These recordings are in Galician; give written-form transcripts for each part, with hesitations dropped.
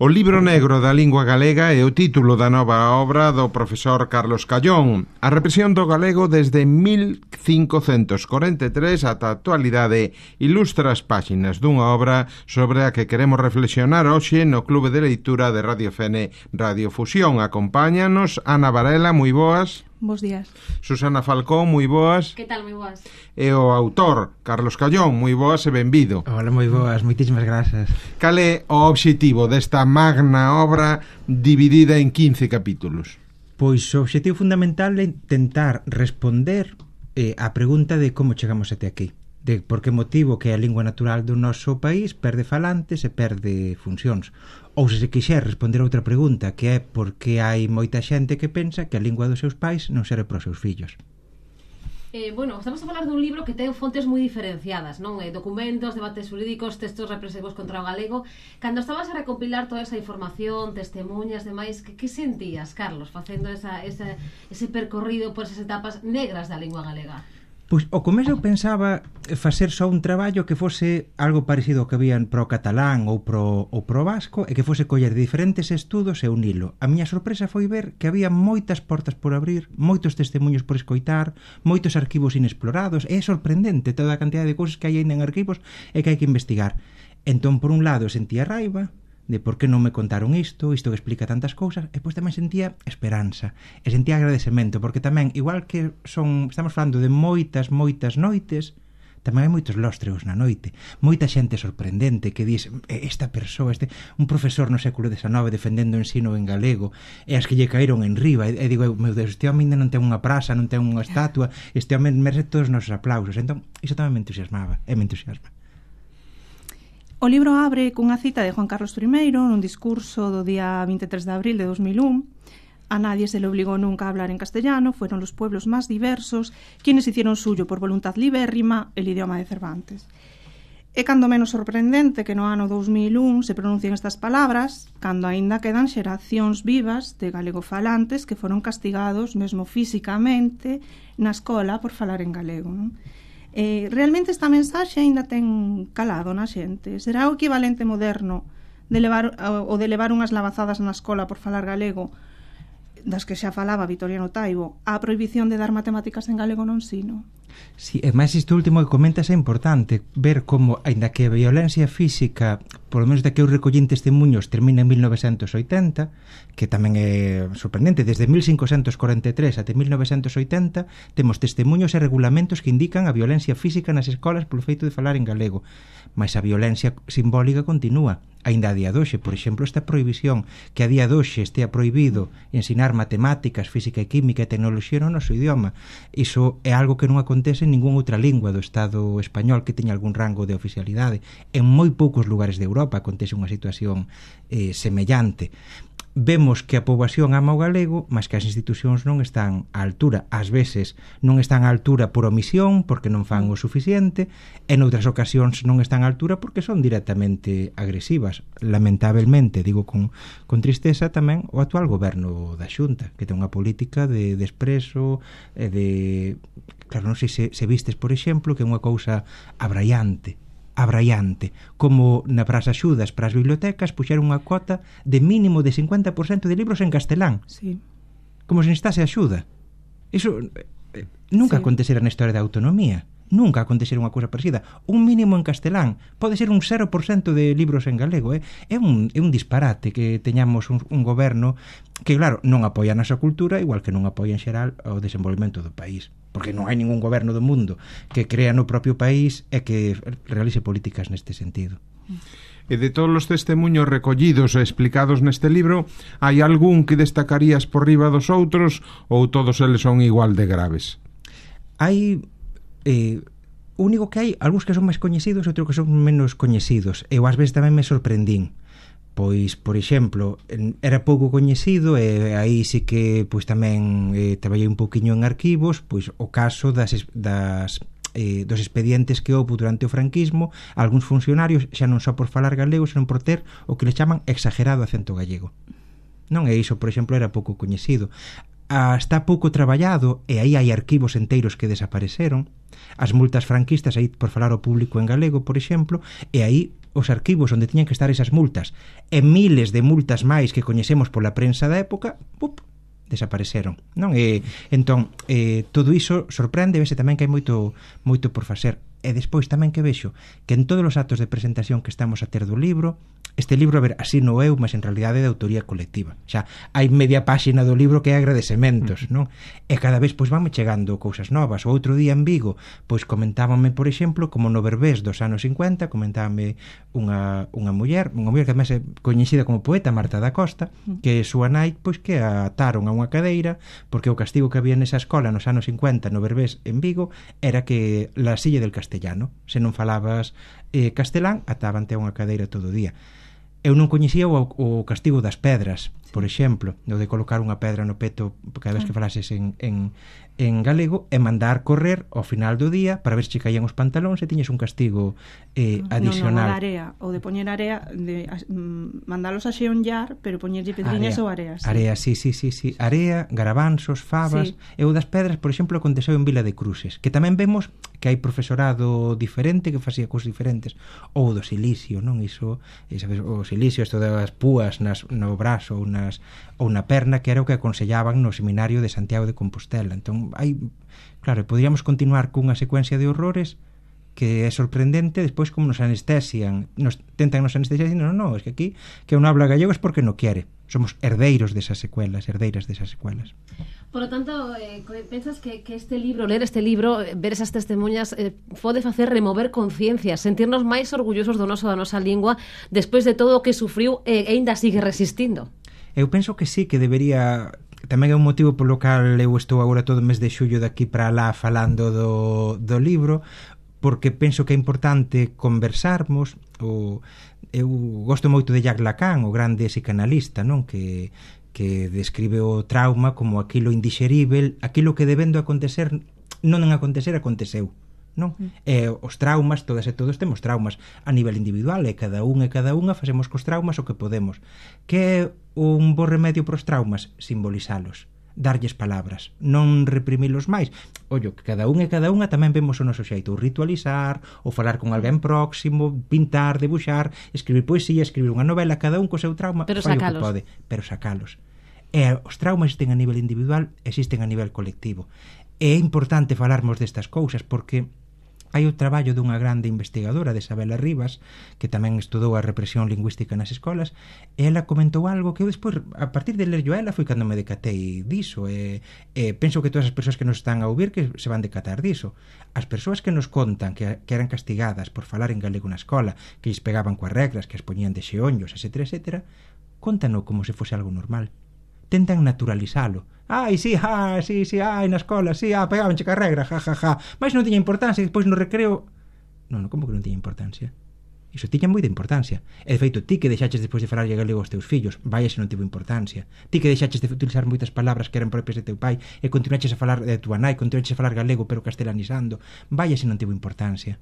O libro negro da lingua galega é o título da nova obra do profesor Carlos Callón. A represión do galego desde 1543 ata a actualidade ilustra as páxinas dunha obra sobre a que queremos reflexionar hoxe no Clube de Leitura de Radio Fene Radio Fusión. Acompáñanos Ana Varela, moi boas. Bos días. Susana Falcón, moi boas. Que tal, moi boas. E o autor, Carlos Callón, moi boas e benvido. Hola, moi boas, moitísimas grazas. Cal é o obxectivo desta magna obra dividida en 15 capítulos? Pois o obxectivo fundamental é tentar responder á pregunta de como chegamos até aquí, de por que motivo que a lingua natural do noso país perde falantes e perde funcións. Ou se quixer responder a outra pregunta, que é por que hai moita xente que pensa que a lingua dos seus pais non serve para os seus fillos. Bueno, estamos a falar dun libro que ten fontes moi diferenciadas, non? Documentos, debates jurídicos, textos represivos contra o galego. Cando estabas a recopilar toda esa información, testemunhas, demais, que sentías, Carlos, facendo ese percorrido por esas etapas negras da lingua galega? Pois ao comezo eu pensaba facer só un traballo que fose algo parecido ao que había pro catalán ou pro vasco e que fose coller diferentes estudos e unilo. A miña sorpresa foi ver que había moitas portas por abrir, moitos testemunhos por escoitar, moitos arquivos inexplorados. É sorprendente toda a cantidad de cousas que hai en arquivos e que hai que investigar. Entón, por un lado, sentía raiva de por que non me contaron isto que explica tantas cousas, e pois tamén sentía esperanza e sentía agradecemento, porque tamén, igual que estamos falando de moitas noites, tamén hai moitos lóstreos na noite, moita xente sorprendente que diz, esta persoa, un profesor no século XIX defendendo o ensino en galego, e as que lle caíron en riba, e digo, meu Deus, este home ainda non ten unha praza, non ten unha estatua, este home merece todos os nosos aplausos. Entón, iso tamén me entusiasmaba, e me entusiasma. O libro abre cunha cita de Juan Carlos I nun discurso do día 23 de abril de 2001. A nadie se le obligó nunca a hablar en castellano, fueron los pueblos más diversos quienes hicieron suyo por voluntad libérrima el idioma de Cervantes. É cando menos sorprendente que no ano 2001 se pronuncien estas palabras, cando aínda quedan xeracións vivas de galegofalantes que foron castigados mesmo físicamente na escola por falar en galego, non? Realmente esta mensaxe aínda ten calado na xente. Será o equivalente moderno de levar unhas lavazadas na escola por falar galego, das que xa falaba Vitoriano Taibo, a prohibición de dar matemáticas en galego no ensino? Sí, e máis isto último que comentas é importante ver como, aínda que a violencia física, polo menos da que eu recollín testemunhos, termina en 1980, que tamén é sorprendente, desde 1543 até 1980 temos testemunhos e regulamentos que indican a violencia física nas escolas polo feito de falar en galego, mas a violencia simbólica continúa. Aínda a día doxe, por exemplo, esta prohibición que a día doxe estea prohibido ensinar matemáticas, física e química e tecnoloxía no noso idioma. Iso é algo que non acontece en ninguna outra lingua do Estado español que teña algún rango de oficialidade. En moi poucos lugares de Europa acontece unha situación semellante. Vemos que a poboación ama o galego, mas que as institucións non están á altura. Ás veces non están á altura por omisión, porque non fan o suficiente, e noutras ocasións non están á altura porque son directamente agresivas. Lamentablemente, digo con tristeza tamén, o actual goberno da Xunta, que ten unha política de desprezo, claro, non sei se vistes, por exemplo, que é unha cousa abraiante, como nas axudas para as bibliotecas puxeron unha cuota de mínimo de 50% de libros en castelán. Sí. Como se necesitase axuda. Iso nunca acontecera na historia da autonomía. Nunca acontecera unha cousa parecida. Un mínimo en castelán. Pode ser un 0% de libros en galego. É un disparate que teñamos un goberno que, claro, non apoia a nosa cultura, igual que non apoia en xeral o desenvolvemento do país. Porque non hai ningún goberno do mundo que crea no propio país e que realice políticas neste sentido. E de todos os testemunhos recollidos e explicados neste libro, hai algún que destacarías por riba dos outros ou todos eles son igual de graves? Hai único que hai algúns que son máis coñecidos e outros que son menos coñecidos. Eu ás veces tamén me sorprendín. Pois, por exemplo, era pouco coñecido e aí sí que pois tamén traballei un pouquiño en arquivos, pois o caso dos expedientes que houve durante o franquismo, algúns funcionarios xa non só por falar galego, senón por ter o que le chaman exagerado acento gallego. Non é iso, por exemplo, era pouco coñecido. está pouco traballado e aí hai arquivos enteiros que desapareceron, as multas franquistas, aí por falar ao público en galego, por exemplo, e aí os arquivos onde tiñan que estar esas multas e miles de multas máis que coñecemos pola prensa da época, desapareceron, non? Entón, todo iso sorprende, vese tamén que hai moito por facer. E despois tamén que vexo que en todos os actos de presentación que estamos a ter do libro, este libro, a ver, así no eu, mas en realidade é de autoría colectiva. Xa, hai media páxina do libro que é agradecementos, non? E cada vez, pois, vanme chegando cousas novas. O outro día en Vigo, pois, comentábame, por exemplo, como no Berbés dos anos 50, comentábame unha muller que además é coñecida como poeta, Marta da Costa, que súa nai, pois, que a ataron a unha cadeira, porque o castigo que había nesa escola nos anos 50 no Berbés en Vigo era que la silla del castellano, se non falabas castelán, atábante a unha cadeira todo o día. Eu non coñecía o castigo das pedras, por exemplo, o de colocar unha pedra no peto cada vez que falases en galego e mandar correr ao final do día para ver se caían os pantalóns e tiñes un castigo adicional. O de poñer area, de mandalos a xeonllar, pero poñerlle pedriñas ou areas. Area, sí. Area, garabanzos, fabas. E o das pedras, por exemplo, aconteceu en Vila de Cruces, que tamén vemos que hai profesorado diferente que facía cousas diferentes. Ou do silicio, non? Iso, sabes, o silicio, isto das púas no brazo ou na perna, que era o que aconsellaban no seminario de Santiago de Compostela. Entón, claro, podríamos continuar cunha secuencia de horrores que é sorprendente. Despois, como nos anestesian, tentan nos anestesiar, dicindo, no, es que aquí que non habla gallego es porque non quere. Somos herdeiras desas secuelas. Por lo tanto, pensas que este libro, ler este libro, ver esas testemunhas, pode facer remover conciencias, sentirnos máis orgullosos do da nosa lingua despois de todo o que sufriu e ainda sigue resistindo? Eu penso que sí, que debería. Tamén é un motivo polo cal eu estou agora todo o mes de xullo daqui para lá falando do libro, porque penso que é importante conversarmos. Eu gosto moito de Jacques Lacan, o grande psicanalista, non? Que describe o trauma como aquilo indixerível, aquilo que debendo acontecer non acontecer, aconteceu, non? Os traumas, todas e todos temos traumas a nivel individual, e cada unha facemos cos traumas o que podemos. Que é un bo remedio pros traumas? Simbolizalos, darlles palabras, non reprimilos máis. Ollo, que cada unha tamén vemos o noso xeito, ou ritualizar, ou falar con alguén próximo, pintar, debuxar, escribir poesía, escribir unha novela, cada un co seu trauma, pero fai o que pode, pero sacalos. E os traumas existen a nivel individual, existen a nivel colectivo. É importante falarmos destas cousas porque hai o traballo dunha grande investigadora, de Isabela Rivas, que tamén estudou a represión lingüística nas escolas, e ela comentou algo que eu despois, a partir de ler yo a ela, foi cando me decatei diso, e penso que todas as persoas que nos están a ouvir que se van decatar diso. As persoas que nos contan que eran castigadas por falar en galego na escola, que lles pegaban coas regras, que as poñían de xeonllos, etc., contano como se fose algo normal. Tentan naturalizalo. Sí, na escola, sí, pegabanche ca regra, mas non tiña importancia, e despois no recreo. Non, como que non tiña importancia? Iso tiña moita importancia. E de feito, ti que deixaches despois de falar galego aos teus fillos, vai se non tivo importancia. Ti que deixaches de utilizar moitas palabras que eran propias de teu pai e continuaches a falar de tua nai, continuaches a falar galego pero castelanizando, vai se non tivo importancia.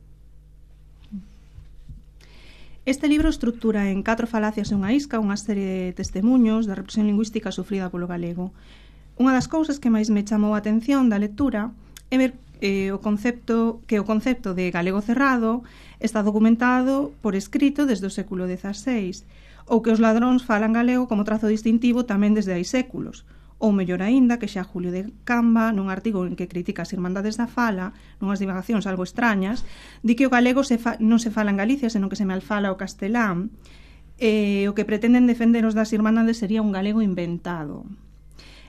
Este libro estrutura en 4 falacias e unha isca unha serie de testemuños da represión lingüística sufrida polo galego. Unha das cousas que máis me chamou a atención da lectura é ver o concepto de galego cerrado está documentado por escrito desde o século XVI, ou que os ladróns falan galego como trazo distintivo tamén desde hai séculos, ou mellor aínda que xa Julio de Camba, nun artigo en que critica as Irmandades da Fala, nunhas divagacións algo extrañas, di que o galego non se fala en Galicia, senón que se malfala o castelán, o que pretenden defender os das Irmandades sería un galego inventado.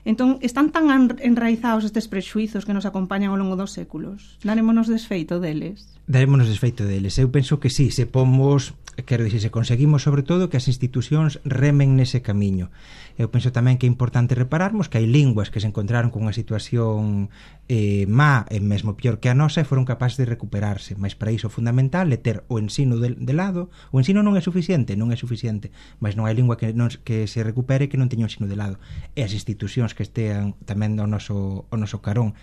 Entón, están tan enraizados estes prexuizos que nos acompañan ao longo dos séculos? Darémonos desfeito deles? Darémonos desfeito deles. Eu penso que sí, se pomos, quero dicir, se conseguimos sobre todo que as institucións remen nese camiño. Eu penso tamén que é importante repararmos que hai linguas que se encontraron con unha situación má e mesmo pior que a nosa e foron capaces de recuperarse, mas para iso é fundamental é ter o ensino de lado. O ensino non é suficiente, mas non hai lingua que se recupere que non teña o ensino de lado, e as institucións que estean tamén ao noso carón.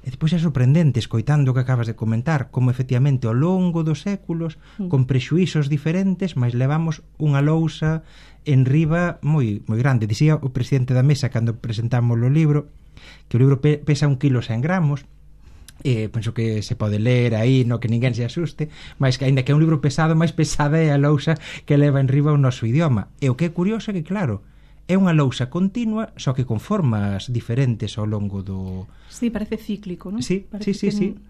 E depois é sorprendente, escoitando o que acabas de comentar, como efectivamente ao longo dos séculos, con prexuízos diferentes, mas levamos unha lousa en riba moi grande. Dicía o presidente da mesa cando presentamos o libro que o libro pesa 1 kilo 100 gramos, penso que se pode ler aí, no que ninguén se asuste, mas que aínda que é un libro pesado, máis pesada é a lousa que leva en riba o noso idioma. E o que é curioso é que, claro, é unha lousa continua, só que con formas diferentes ao longo do... Sí, parece cíclico, non? Sí.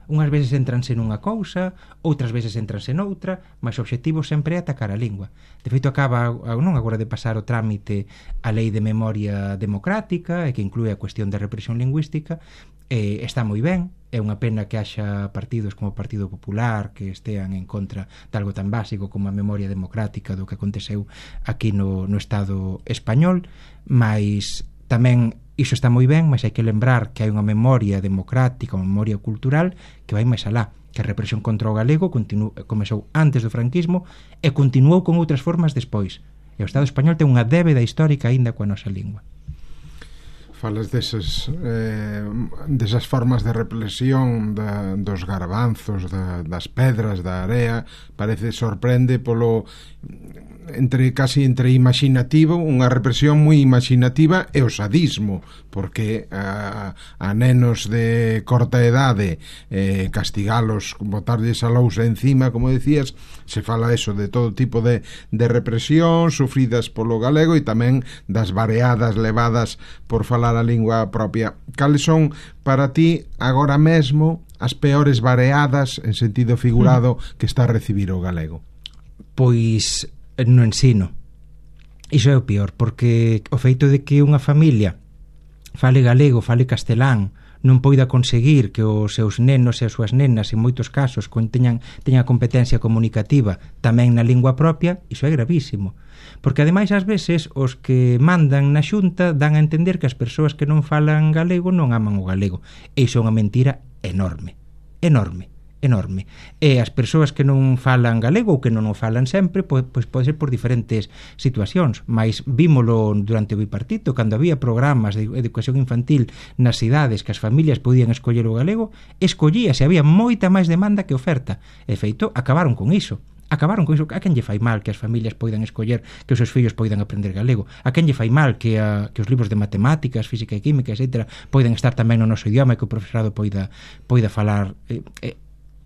Unhas veces entranse nunha cousa, outras veces entranse noutra, mas o obxectivo sempre é atacar a lingua. De feito, acaba non agora de pasar o trámite a Lei de Memoria Democrática, e que inclúe a cuestión da represión lingüística, está moi ben. É unha pena que haxa partidos como o Partido Popular que estean en contra de algo tan básico como a memoria democrática do que aconteceu aquí no Estado español, mas tamén iso está moi ben, mas hai que lembrar que hai unha memoria democrática, unha memoria cultural que vai máis alá, que a represión contra o galego comezou antes do franquismo e continuou con outras formas despois. E o Estado español ten unha débeda histórica aínda coa nosa lingua. Falas desas formas de represión dos garbanzos, das pedras, da area. Sorprende polo casi entre imaginativo, unha represión moi imaginativa, e o sadismo, porque a nenos de corta edade castigalos, botarlles a lousa encima, como decías, se fala eso de todo tipo de represión sufridas polo galego, e tamén das vareadas levadas por falar a lingua propia. Cales son para ti agora mesmo as peores vareadas en sentido figurado que está a recibir o galego? Pois no ensino. Iso é o peor, porque o feito de que unha familia fale galego, fale castelán, non poida conseguir que os seus nenos e as súas nenas en moitos casos teñan competencia comunicativa tamén na lingua propia, iso é gravísimo, porque ademais ás veces os que mandan na xunta dan a entender que as persoas que non falan galego non aman o galego, e iso é unha mentira enorme. E as persoas que non falan galego ou que non o falan sempre, pois pode ser por diferentes situacións, mas vímolo durante o bipartito, cando había programas de educación infantil nas cidades que as familias podían escoller o galego, escollíase, había moita máis demanda que oferta, e feito, acabaron con iso. A quen lle fai mal que as familias poidan escoller que os seus fillos poidan aprender galego? A quen lle fai mal que os libros de matemáticas, física e química, etc., poidan estar tamén no noso idioma e que o profesorado poida falar?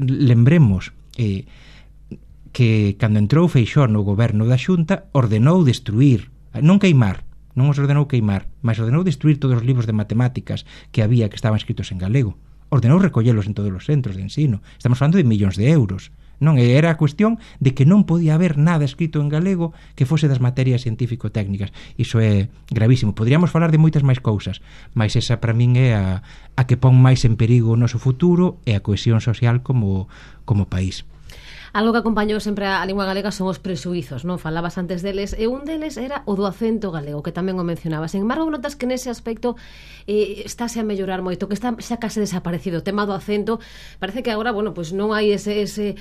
Lembremos que cando entrou Feixóo no goberno da Xunta ordenou destruir, non queimar, non os ordenou queimar, mas ordenou destruir todos os libros de matemáticas que había que estaban escritos en galego. Ordenou recollelos en todos os centros de ensino. Estamos falando de millóns de euros. Non era a cuestión de que non podía haber nada escrito en galego que fose das materias científico-técnicas. Iso é gravísimo. Podríamos falar de moitas máis cousas, mas esa para min é a que pon máis en perigo o noso futuro e a cohesión social como país. Algo que acompañou sempre a lingua galega son os presuizos, non? Falabas antes deles, e un deles era o do acento galego, que tamén o mencionabas. En embargo, notas que nese aspecto estáse a mellorar moito, que está xa case desaparecido. O tema do acento, parece que agora, bueno, pues non hai ese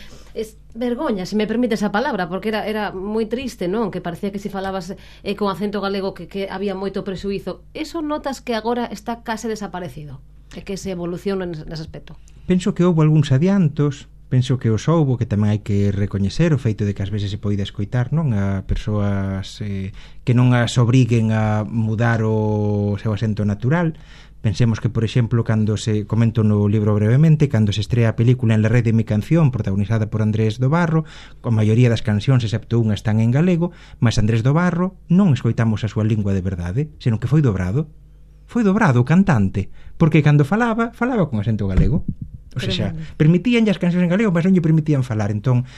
vergoña, se me permite esa palabra, porque era moi triste, non? Que parecía que se falabas con acento galego que había moito presuizo. Eso notas que agora está case desaparecido, e que se evoluciona nese aspecto. Penso que houve algúns adiantos. Penso que os houbo, que tamén hai que recoñecer o feito de que ás veces se poida escoitar, non, a persoas que non as obriguen a mudar o seu acento natural. Pensemos que, por exemplo, cando se comento no libro brevemente, cando se estrea a película En la red de mi canción, protagonizada por Andrés do Barro, a maioría das cancións, excepto unha, están en galego, mas Andrés do Barro non escoitamos a súa lingua de verdade, senón que foi dobrado o cantante, porque cando falaba con acento galego. O sea, permitíanlle as cancións en galego, mas non lle permitían falar. Entón,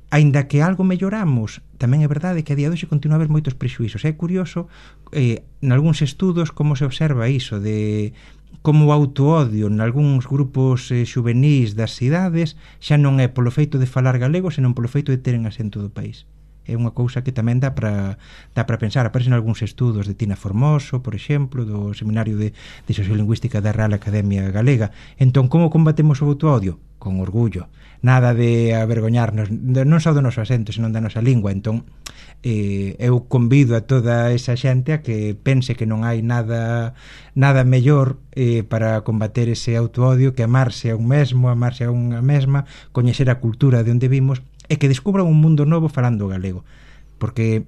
aínda que algo melloramos, tamén é verdade que a día de hoxe continúa a haber moitos prexuízos. É curioso, nalgúns estudos, como se observa iso de como o autoodio nalgúns grupos xuvenís das cidades xa non é polo feito de falar galego, senón polo feito de teren acento do país. É unha cousa que tamén dá para pensar. Aparecen algúns estudos de Tina Formoso, por exemplo, do Seminario de Sociolingüística da Real Academia Galega. Entón, como combatemos o autoodio? Con orgullo. Nada de avergoñarnos, non só do noso acento, senón da nosa lingua. Entón, eu convido a toda esa xente a que pense que non hai nada mellor para combater ese autoodio que amarse a un mesmo, amarse a unha mesma, coñecer a cultura de onde vimos, e que descubran un mundo novo falando galego, porque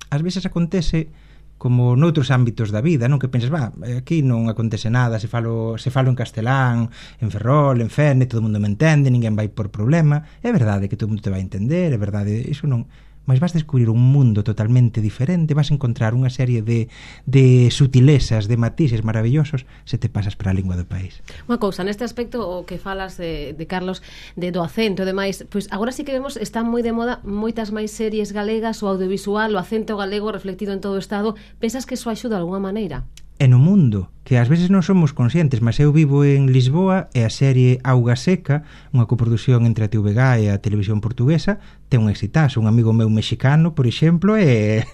ás veces acontece como noutros ámbitos da vida, non? Que pensas, aquí non acontece nada, se falo en castelán, en Ferrol, en Fene, todo o mundo me entende, ninguén vai por problema. É verdade que todo o mundo te vai entender, é verdade, iso non... Mas vas descubrir un mundo totalmente diferente, vas encontrar unha serie de sutilezas, de matices maravillosos se te pasas para a lingua do país. Unha cousa, neste aspecto o que falas de Carlos, do acento e demais, pois agora sí que vemos, están moi de moda moitas máis series galegas, o audiovisual, o acento galego reflectido en todo o Estado. Pensas que iso axuda de alguna maneira? E no mundo, que ás veces non somos conscientes, mas eu vivo en Lisboa e a serie Auga Seca, unha coproducción entre a TVG e a televisión portuguesa, ten un exitazo. Un amigo meu mexicano, por exemplo, é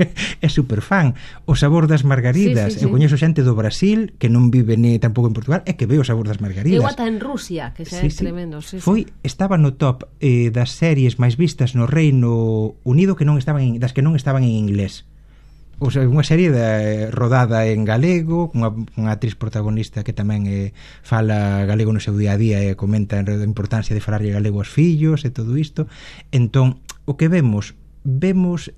super fan. O Sabor das Margaridas. Sí. Eu coñezo xente do Brasil que non vive ni tampouco en Portugal e que ve o Sabor das Margaridas. Eu ata en Rusia, que xa é tremendo. Sí. Estaba no top das series máis vistas no Reino Unido das que non estaban en inglés. O sea, unha serie rodada en galego, unha actriz protagonista que tamén fala galego no seu día a día e comenta a importancia de falarlle galego aos fillos e todo isto. Entón, o que vemos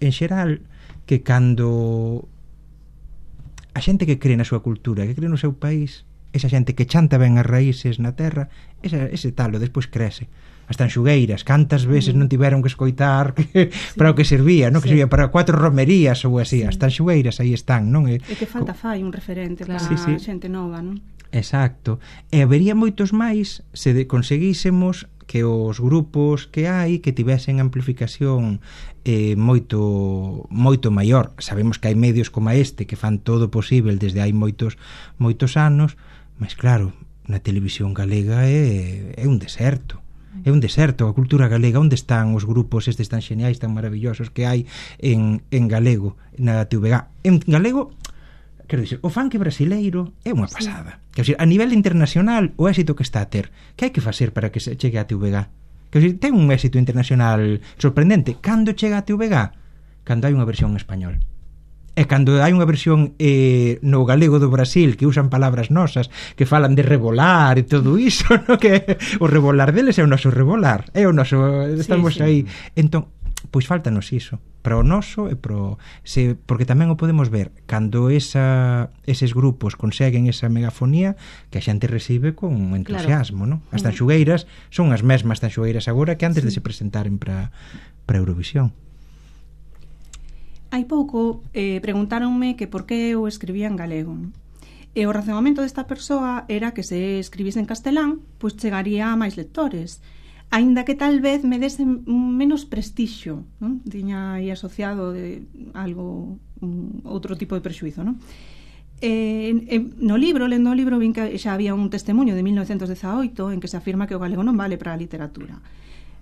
en xeral que cando a xente que cree na súa cultura, que cree no seu país, esa xente que chanta ben as raíces na terra, ese talo despois crece. As tanxugueiras, cantas veces non tiveron que escoitar para o que servía, non? Que servía para 4 romerías ou así. As tanxugueiras aí están, non? E que falta fai un referente para a xente nova, non? Exacto. E habería moitos máis se conseguísemos que os grupos que hai que tivesen amplificación moito maior. Sabemos que hai medios como este que fan todo posible desde hai moitos anos, mas claro, na televisión galega é un deserto. É un deserto, a cultura galega. Onde están os grupos estes tan xeniais, tan maravillosos que hai en galego, na TVG? En galego, quero dicir, o funk brasileiro é unha pasada. Quero dicir, a nivel internacional, o éxito que está a ter, que hai que facer para que se chegue a TVG? Quero dicir, ten un éxito internacional sorprendente. Cando chega a TVG? Cando hai unha versión en español. E cando hai unha versión no galego do Brasil que usan palabras nosas, que falan de rebolar e todo iso, no? Que o rebolar deles é o noso rebolar, é o noso, estamos aí. Entón, pois faltanos iso para o noso e porque tamén o podemos ver cando eses grupos conseguen esa megafonía que a xente recibe con entusiasmo, non? As tanxugueiras son as mesmas tanxugueiras agora que antes de se presentaren para Eurovisión. Hai pouco preguntáronme que por que eu escribía en galego. E o razonamento desta persoa era que se escribise en castelán, pois chegaría a máis lectores, aínda que tal vez me dese menos prestixio, non? Tiña aí asociado de algo, outro tipo de prexuizo, non? No libro, lendo o libro, vin que xa había un testemunho de 1918 en que se afirma que o galego non vale para a literatura.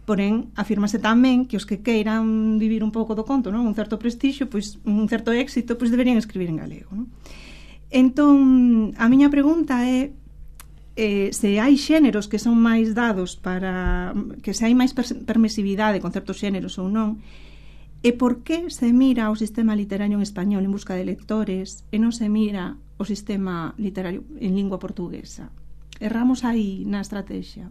Porén, afírmase tamén que os que queiran vivir un pouco do conto, non? Un certo prestixio, pois un certo éxito, pois deberían escribir en galego, non? Entón, a miña pregunta é se hai xéneros que son máis dados para que se hai máis permisividade con certos xéneros ou non, e por que se mira o sistema literario en español en busca de lectores e non se mira o sistema literario en lingua portuguesa. Erramos aí na estrategia.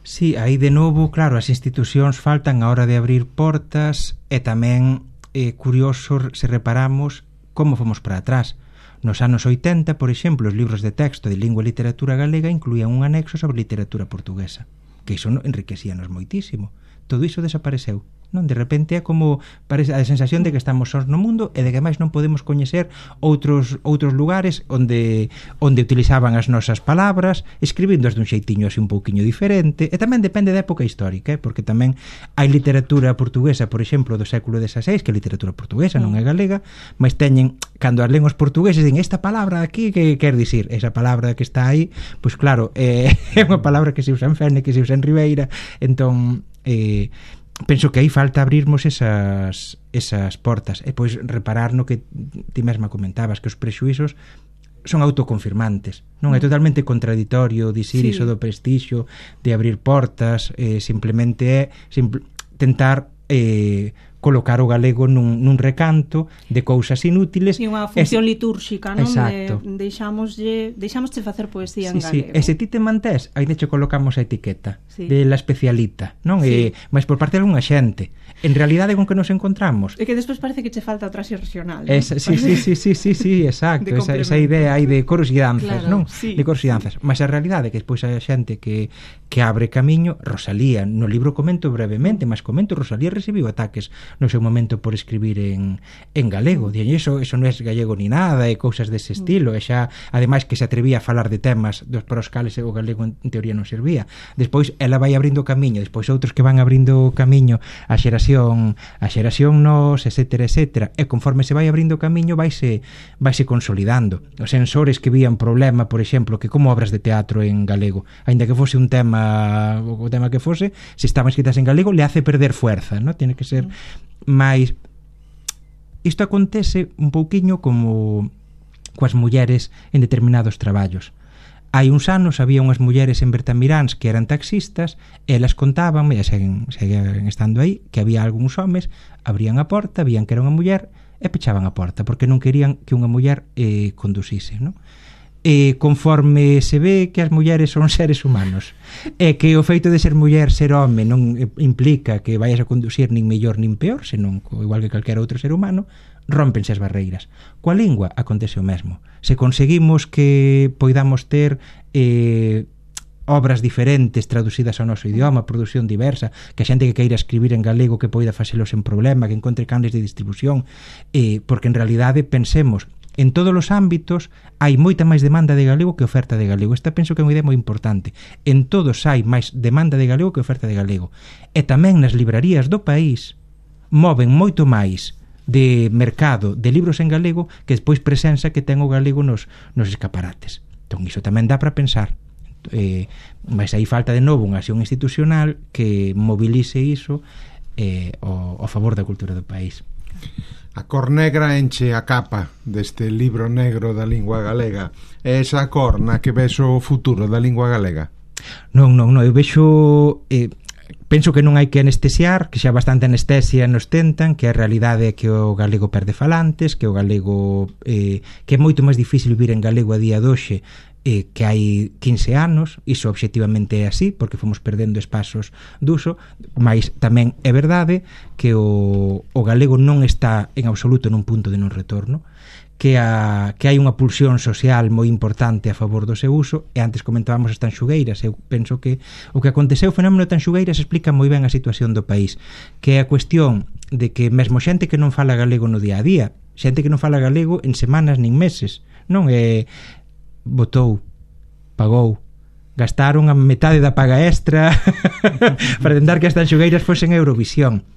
Sí, aí de novo, claro, as institucións faltan a hora de abrir portas e tamén curioso se reparamos como fomos para atrás. Nos anos 80, por exemplo, os libros de texto de lingua e literatura galega incluían un anexo sobre literatura portuguesa, que iso enriquecíanos moitísimo. Todo iso desapareceu. Non, de repente é como parece a sensación de que estamos sós no mundo e de que máis non podemos coñecer outros lugares onde utilizaban as nosas palabras, escribindoas dun xeitiño así un pouquiño diferente. E tamén depende da época histórica, porque tamén hai literatura portuguesa, por exemplo, do século XVI, que é literatura portuguesa, non é galega, mas teñen, cando as len os portugueses, din esta palabra aquí, que quer dicir? Esa palabra que está aí, pois claro, é unha palabra que se usa en Fene, que se usa en Ribeira. Entón, penso que aí falta abrirmos esas portas e pois reparar no que ti mesma comentabas, que os prexuízos son autoconfirmantes, non é totalmente contradictorio dicir iso do prestixio, de abrir portas, simplemente é tentar colocar o galego nun recanto de cousas inútiles. E unha función litúrxica, non? Exacto. Deixámosche facer poesía en Sí, galego. e se ti te mantés, aí che colocamos a etiqueta de la especialita, non? Sí. Mas por parte de algunha xente. En realidade con que nos encontramos. E que despois parece que che falta o traxe regional, non? Sí, exacto. Esa idea aí de coros e danzas, claro, non? Sí, de coros e danzas. Mas a realidade é que despois hai xente que abre camiño. Rosalía, no libro comento brevemente, mas comento, Rosalía recibiu ataques no seu momento por escribir en galego. Dixen, eso non é gallego ni nada, e cousas dese estilo, e xa, ademais que se atrevía a falar de temas para os cales o galego en teoría non servía. Despois ela vai abrindo camiño, despois outros que van abrindo camiño a xeración nos, etcétera, e conforme se vai abrindo camiño vaise consolidando. Os censores que vían problema, por exemplo, que como obras de teatro en galego, aínda que fose un tema, o tema que fose, se estaban escritas en galego, le hace perder fuerza, ¿no? Tiene que ser máis... Isto acontece un pouquiño como coas mulleres en determinados traballos. Hai uns anos había unhas mulleres en Bertamiráns que eran taxistas, e elas contaban, e seguen estando aí, que había algúns homes, abrían a porta, vían que era unha muller e pechaban a porta, porque non querían que unha muller conducise, non? E conforme se ve que as mulleres son seres humanos, e que o feito de ser muller, ser home, non implica que vayas a conducir nin mellor nin peor, senón igual que calquera outro ser humano, rómpense as barreiras. Coa lingua acontece o mesmo. Se conseguimos que poidamos ter obras diferentes traducidas ao noso idioma, produción diversa, que a xente que queira escribir en galego que poida facelos en problema, que encontre canles de distribución, porque en realidade pensemos, en todos os ámbitos hai moita máis demanda de galego que oferta de galego. Esta penso que é unha idea moi importante. En todos hai máis demanda de galego que oferta de galego. E tamén nas librarías do país moven moito máis de mercado de libros en galego que despois presenza que ten o galego nos escaparates. Entón iso tamén dá para pensar. Mas aí falta de novo unha acción institucional que movilice iso ao favor da cultura do país. A cor negra enche a capa deste libro negro da lingua galega. É esa cor na que ves o futuro da lingua galega? Non, eu vexo... penso que non hai que anestesiar, que xa bastante anestesia nos tentan, que a realidade é que o galego perde falantes, que o galego... que é moito máis difícil vivir en galego a día de hoxe que hai 15 anos. Iso obxectivamente é así, porque fomos perdendo espazos d'uso, mas tamén é verdade que o galego non está en absoluto nun punto de non retorno, que hai unha pulsión social moi importante a favor do seu uso, e antes comentábamos as tanxugueiras. Eu penso que o que aconteceu, o fenómeno tanxugueiras, explica moi ben a situación do país, que é a cuestión de que mesmo xente que non fala galego no día a día, xente que non fala galego en semanas nin meses, non é... votou, pagou, gastaron a metade da paga extra para tentar que as tanxugueiras fosen Eurovisión.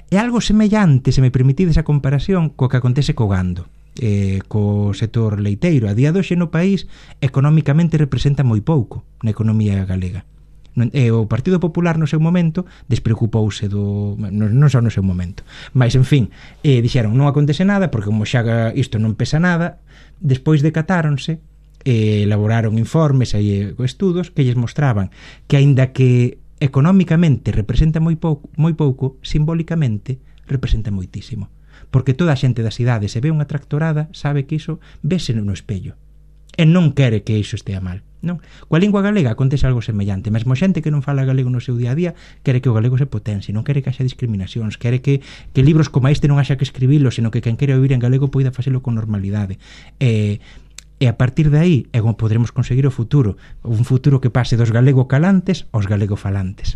É algo semellante, se me permitides a comparación, co que acontece co gando, co sector leiteiro. A día de hoxe no país económicamente representa moi pouco na economía galega. O Partido Popular no seu momento despreocupouse non só no seu momento, mas en fin, dixeron non acontece nada porque como xa isto non pesa nada. Despois decatáronse, elaboraron informes e estudos que lles mostraban que aínda que económicamente representa moi pouco, simbólicamente representa moitísimo, porque toda a xente das cidades se ve unha tractorada, sabe que iso vese no espello e non quere que iso estea mal, non? Coa lingua galega acontece algo semellante. Mesmo xente que non fala galego no seu día a día quere que o galego se potencie, non quere que haxa discriminacións, quere que libros como este non haxa que escribilo, senón que quen quere ouvir en galego poida facelo con normalidade. E a partir de aí é como poderemos conseguir o futuro, un futuro que pase dos galego calantes aos galego falantes.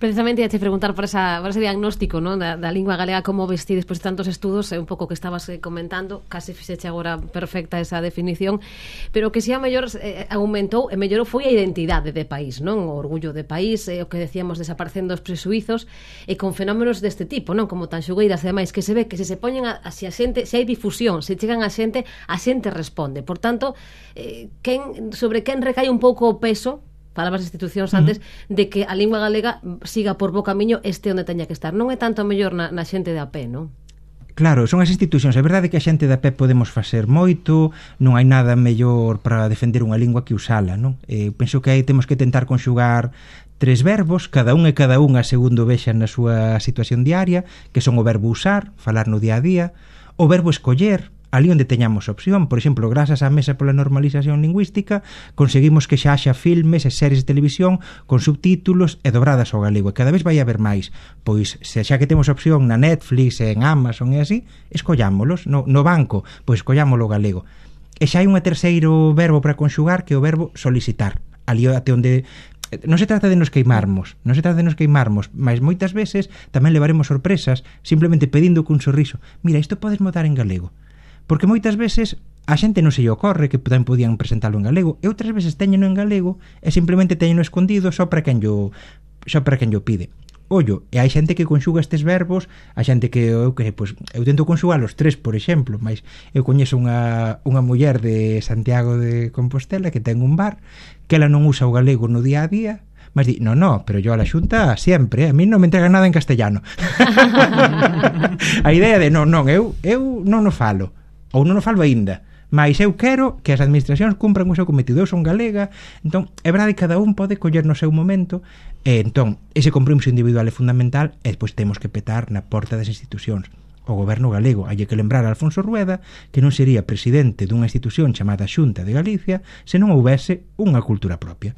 Precisamente ia te preguntar por ese diagnóstico, ¿no? da lingua galega, como vesti despois de tantos estudos, un pouco que estabas comentando, case fixeche agora perfecta esa definición, pero que si a mellor aumentou e mellorou foi a identidade de país, non? O orgullo de país, o que decíamos, desaparecendo os presuizos, e con fenómenos deste tipo, non? Como tanxugueiras, ademais, que se ve que se poñen se hai difusión, se chegan a xente responde. Por tanto, sobre quen recai un pouco o peso, falabas de institucións antes, de que a lingua galega siga por bo camiño onde teña que estar. Non é tanto mellor na xente de a pé, non? Claro, son as institucións. É verdade que a xente da pé podemos facer moito, non hai nada mellor para defender unha lingua que usala, non? Penso que aí temos que tentar conxugar 3 verbos, cada unha segundo vexan na súa situación diaria, que son o verbo usar, falar no día a día, o verbo escoller, ali onde teñamos opción. Por exemplo, grazas á Mesa pola Normalización Lingüística, conseguimos que xa haxa filmes e series de televisión con subtítulos e dobradas ao galego, e cada vez vai haber máis. Pois, se xa que temos opción na Netflix, en Amazon e así, escollámolos. No banco, pois escollámolo galego. E xa hai un terceiro verbo para conxugar, que é o verbo solicitar. Ali até onde... Non se trata de nos queimarmos, mas moitas veces tamén levaremos sorpresas simplemente pedindo cun sorriso: mira, isto podes mudar en galego. Porque moitas veces a xente non se lle ocorre que tamén podían presentalo en galego, e outras veces teñeno en galego e simplemente teñeno escondido só para quen yo pide. Ollo, e hai xente que conxuga estes verbos, a xente que eu tento conxugar os 3, por exemplo, mas eu coñezo unha muller de Santiago de Compostela que ten un bar, que ela non usa o galego no día a día, mas di, no, pero yo a la xunta sempre, a mí non me entrega nada en castellano. A idea de, eu non o falo, ou non o falo aínda, mas eu quero que as administracións cumpran o seu cometido. Eu son galega, entón é verdade que cada un pode coller no seu momento, e entón ese compromiso individual é fundamental, e despois temos que petar na porta das institucións. O goberno galego, hai que lembrar a Alfonso Rueda que non sería presidente dunha institución chamada Xunta de Galicia se non houbese unha cultura propia.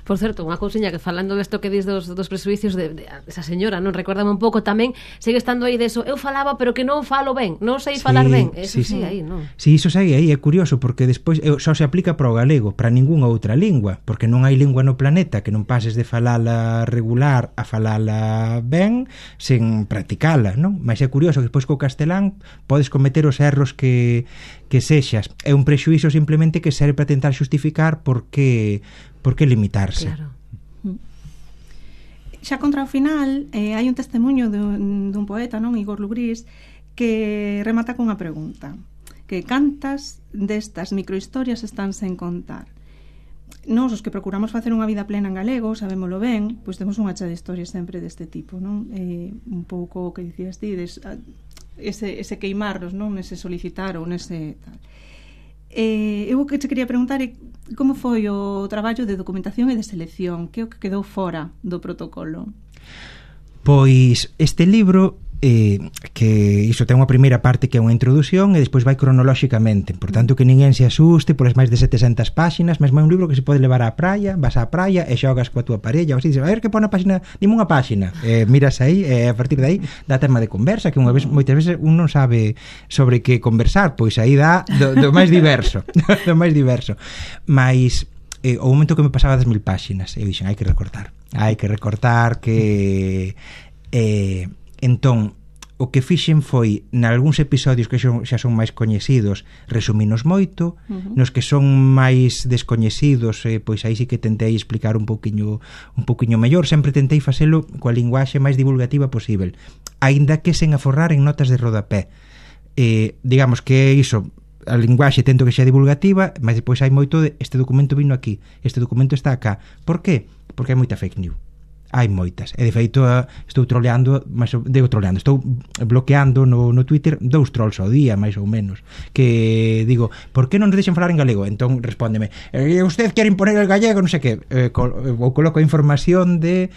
Por certo, unha cousiña que falando desto que dis dos presuicios de esa señora, non, recórdame un pouco tamén, segue estando aí deso, eu falaba pero que non falo ben, non sei falar ben. Eso sí, aí, non? Sí, iso segue aí, é curioso porque despois só se aplica para o galego, para ningunha outra lingua, porque non hai lingua no planeta que non pases de falala regular a falala ben sen practicala, non? Mas é curioso que despois co castelán podes cometer os erros que sexas. É un prexuízo simplemente que serve para tentar xustificar por que limitarse. Claro. Xa contra o final hai un testemunho dun poeta, non, Igor Lugrís, que remata cunha pregunta: que cantas destas microhistorias están sen contar? Nós, os que procuramos facer unha vida plena en galego, sabémolo ben, pois temos unha chea de historias sempre deste tipo, non? Un pouco o que dicías ti, ese queimarnos, non? Nese solicitar ou nese tal. Eu o que te quería preguntar é como foi o traballo de documentación e de selección, que é o que quedou fora do protocolo? Pois este libro que iso ten unha primeira parte que é unha introdución e despois vai cronolóxicamente, por tanto que ninguén se asuste polas máis de 700 páxinas, mesmo é un libro que se pode levar á praia, vas á praia e xogas coa túa parella, ou así, dices, a ver que pon a páxina, dime unha páxina, miras aí e a partir de aí dá tema de conversa, que unha vez, moitas veces un non sabe sobre que conversar, pois aí dá do máis diverso do máis diverso, mas o momento que me pasaba das 1000 páxinas eu dixen, hai que recortar que entón, o que fixen foi nalgúns episodios que xa son máis coñecidos, resuminos moito, nos que son máis descoñecidos, pois aí sí que tentei explicar un pouquiño mellor, sempre tentei facelo coa linguaxe máis divulgativa posible, aínda que sen aforrar en notas de rodapé. Digamos que iso, a linguaxe tento que xa divulgativa, mas depois hai moito de este documento vino aquí, este documento está acá. Por qué? Porque hai moita fake news. Hai moitas, e de feito estou bloqueando no Twitter 2 trolls ao día, máis ou menos, que digo, por que non nos deixan falar en galego? Entón respóndeme, usted quere imponer el gallego, non sei que, ou coloco a información de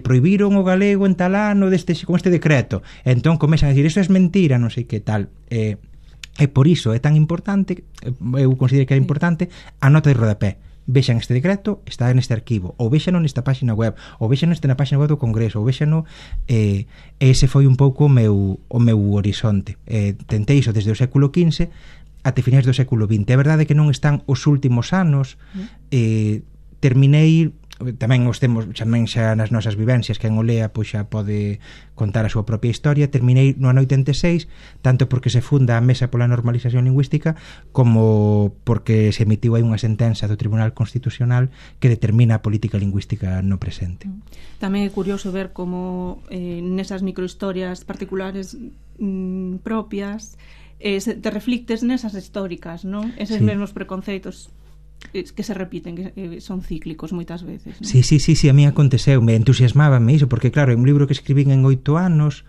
prohibiron o galego en tal ano con este decreto, entón comezan a dicir, iso é mentira, non sei que tal. E por iso é tan importante, eu considero que é importante a nota de rodapé. Vexan este decreto, está neste arquivo, ou vexano nesta página web, ou vexano na página web do Congreso, ou vexano, ese foi un pouco o meu horizonte. Tentei iso desde o século XV até finais do século XX. É verdade que non están os últimos anos, terminei, tamén os temos tamén xa nas nosas vivencias, que en Olea pois xa pode contar a súa propia historia. Terminei no ano 86, tanto porque se funda a Mesa pola Normalización Lingüística como porque se emitiu aí unha sentenza do Tribunal Constitucional que determina a política lingüística no presente. Tamén é curioso ver como nesas microhistorias particulares propias te reflictes nesas históricas, non? Eses mesmos preconceitos que se repiten, que son cíclicos moitas veces, non? Sí, a mí aconteceu, me entusiasmábame iso, porque claro, é un libro que escribín en 8 anos,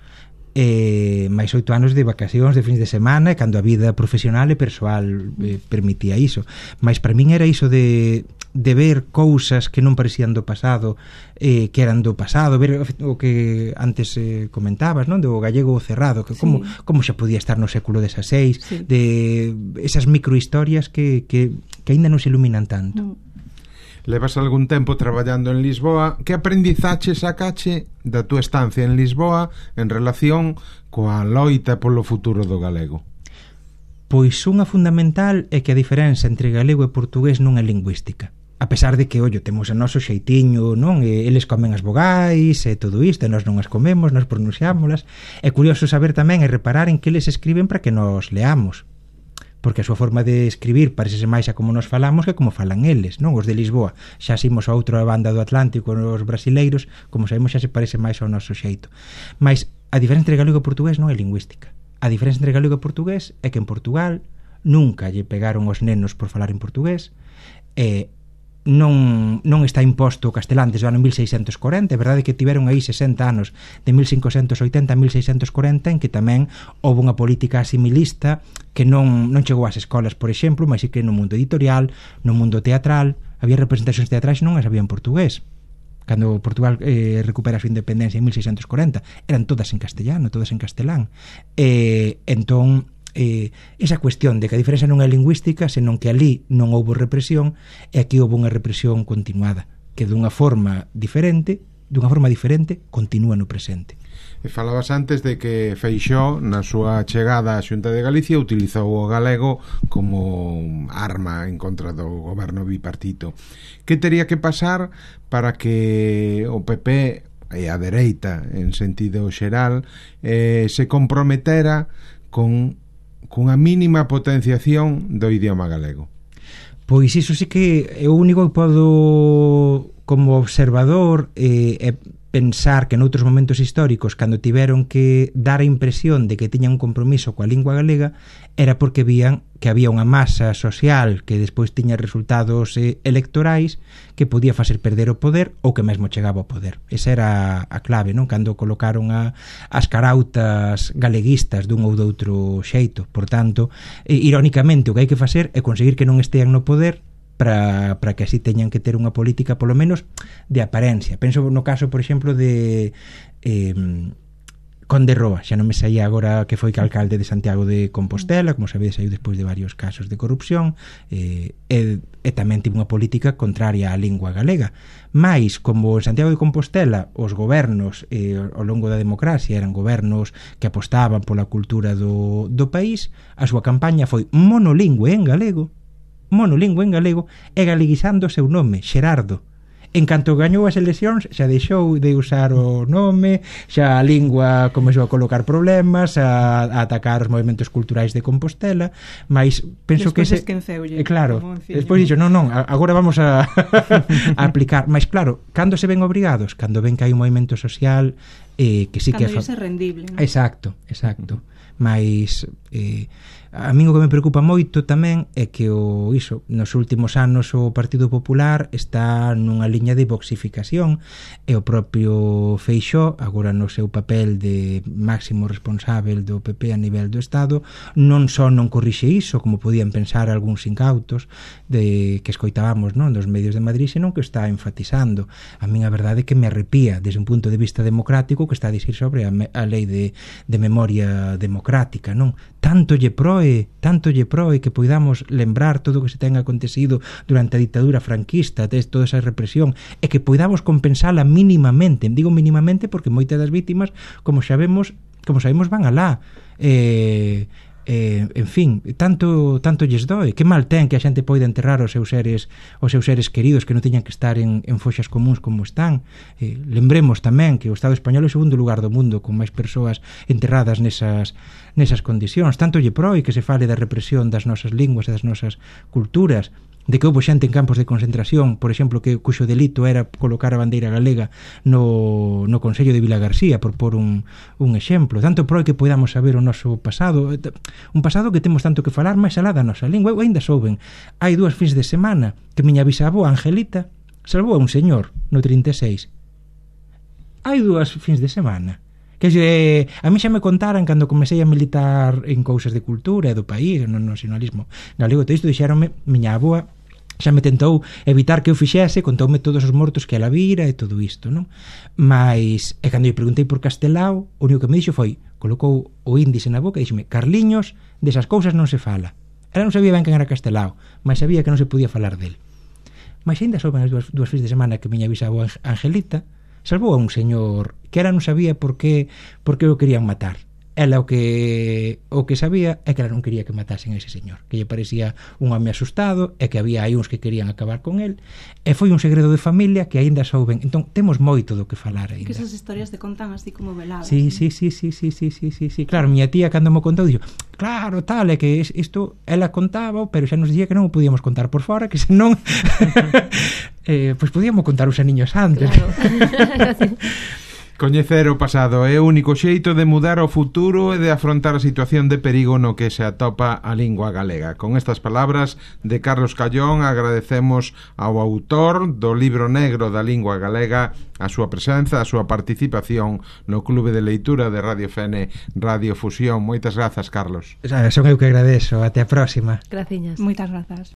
máis 8 anos de vacacións, de fins de semana, e cando a vida profesional e persoal permitía iso. Mas para min era iso de ver cousas que non parecían do pasado, que eran do pasado, ver o que antes comentabas, non? Do gallego cerrado, que como xa podía estar no século XVI, de esas microhistorias que aínda non se iluminan tanto. Levas algún tempo traballando en Lisboa. Que aprendizache sacache da túa estancia en Lisboa en relación coa loita polo futuro do galego? Pois unha fundamental é que a diferenza entre galego e portugués non é lingüística. A pesar de que, ollo, temos o noso xeitiño, non? E eles comen as vogais e todo isto, e nós non as comemos, nós pronunciámolas. É curioso saber tamén e reparar en que eles escriben para que nos leamos, porque a súa forma de escribir parecese máis a como nos falamos que como falan eles, non? Os de Lisboa xa simos a outra banda do Atlántico, os brasileiros, como sabemos, xa se parece máis ao noso xeito. Mas a diferenza entre galego e portugués non é lingüística. A diferenza entre galego e portugués é que en Portugal nunca lle pegaron os nenos por falar en portugués, non está imposto o castelán desde o ano 1640. É verdade que tiveron aí 60 anos, de 1580 a 1640, en que tamén houve unha política asimilista que non chegou ás escolas, por exemplo, mas sí que no mundo editorial, no mundo teatral, había representacións teatrais e non as había en portugués. Cando Portugal recupera a súa independencia en 1640, eran todas en castellano, todas en castelán. Entón, esa cuestión de que a diferenza non é lingüística, senón que ali non houve represión e aquí houve unha represión continuada, que dunha forma diferente continúa no presente. E falabas antes de que Feixóo, na súa chegada á Xunta de Galicia, utilizou o galego como arma en contra do goberno bipartito. Que tería que pasar para que o PP e a dereita, en sentido xeral, se comprometera cunha mínima potenciación do idioma galego? Pois iso sí que é o único que podo, como observador, pensar que noutros momentos históricos, cando tiveron que dar a impresión de que tiñan un compromiso coa lingua galega, era porque vían que había unha masa social que despois tiña resultados electorais que podía facer perder o poder ou que mesmo chegaba ao poder. Esa era a clave, non? Cando colocaron as carautas galeguistas dun ou doutro xeito. Por tanto, irónicamente, o que hai que facer é conseguir que non estean no poder para que así teñan que ter unha política polo menos de apariencia. Penso no caso, por exemplo, de Conde Roa, xa non me saía agora, que foi alcalde de Santiago de Compostela, como sabedes, saiu despois de varios casos de corrupción, e tamén tivo unha política contraria á lingua galega. Mais, como en Santiago de Compostela os gobernos ao longo da democracia eran gobernos que apostaban pola cultura do país, a súa campaña foi monolingüe en galego e galeguizando o seu nome, Xerardo. En canto gañou as eleccións, xa deixou de usar o nome, xa a lingua comezou a colocar problemas, a atacar os movimentos culturais de Compostela, mas penso despois que claro, despois dixo, non, agora vamos a aplicar, mas claro, cando se ven obrigados, cando ven que hai un movimento social que sí que cando é rendible, non? Exacto. Mas a min o que me preocupa moito tamén é que nos últimos anos o Partido Popular está nunha liña de boxificación e o propio Feixóo, agora no seu papel de máximo responsável do PP a nivel do Estado, non só non corrixe iso, como podían pensar algúns incautos que escoitábamos, non, dos medios de Madrid, senón que está enfatizando. A min a verdade é que me arrepía desde un punto de vista democrático que está a dicir sobre a lei de memoria democrática, non? Tanto lle proe que poidamos lembrar todo o que se ten acontecido durante a ditadura franquista, toda esa represión, e que poidamos compensala mínimamente. Digo mínimamente porque moitas das vítimas, como sabemos van alá. En fin, tanto lles doe. Que mal ten que a xente poida enterrar os seus seres queridos, que non teñan que estar en foxas comuns como están. Lembremos tamén que o Estado español é o segundo lugar do mundo con máis persoas enterradas nesas condicións. Tanto lle proe que se fale da represión das nosas linguas e das nosas culturas, de que houve xente en campos de concentración, por exemplo, cuxo delito era colocar a bandeira galega no Consello de Vilagarcía, por pôr un exemplo. Tanto proe que podamos saber o noso pasado, un pasado que temos tanto que falar máis alá da nosa lingua. Eu ainda souben, hai 2 fins de semana que miña bisavó Angelita salvou a un señor no 36. Hai 2 fins de semana Que a mí xa me contaran cando comecei a militar en cousas de cultura e do país, no nacionalismo galego, todo isto dixeronme, miña avoa xa me tentou evitar que eu fixese, contoume todos os mortos que ela vira e todo isto, non? Mas, e cando eu preguntei por Castelao, o único que me dixo foi, colocou o índice na boca e dixeme, Carliños, desas cousas non se fala. Ela non sabía ben quen era Castelao, mas sabía que non se podía falar del. Mas ainda souben as dúas fins de semana que miña bisavó Angelita salvou a un señor que ela non sabía por que o querían matar. Ela o que sabía é que ela non quería que matasen a ese señor, que lle parecía un home asustado e que había aí uns que querían acabar con el, e foi un segredo de familia que aínda souben. Entón, temos moito do que falar aínda. Que esas historias te contan así como veladas. Sí. Claro, miña tía cando me contou dixo, claro, tal, é que isto ela contaba, pero xa nos dicía que non o podíamos contar por fora, que senón pois podíamos contar os aniños antes. Claro. Coñecer o pasado é o único xeito de mudar o futuro e de afrontar a situación de perigo no que se atopa a lingua galega. Con estas palabras de Carlos Callón agradecemos ao autor do libro negro da lingua galega a súa presenza, a súa participación no Clube de Leitura de Radio Fene Radio Fusión. Moitas grazas, Carlos. Son eu que agradezo. Até a próxima. Graciñas. Moitas grazas.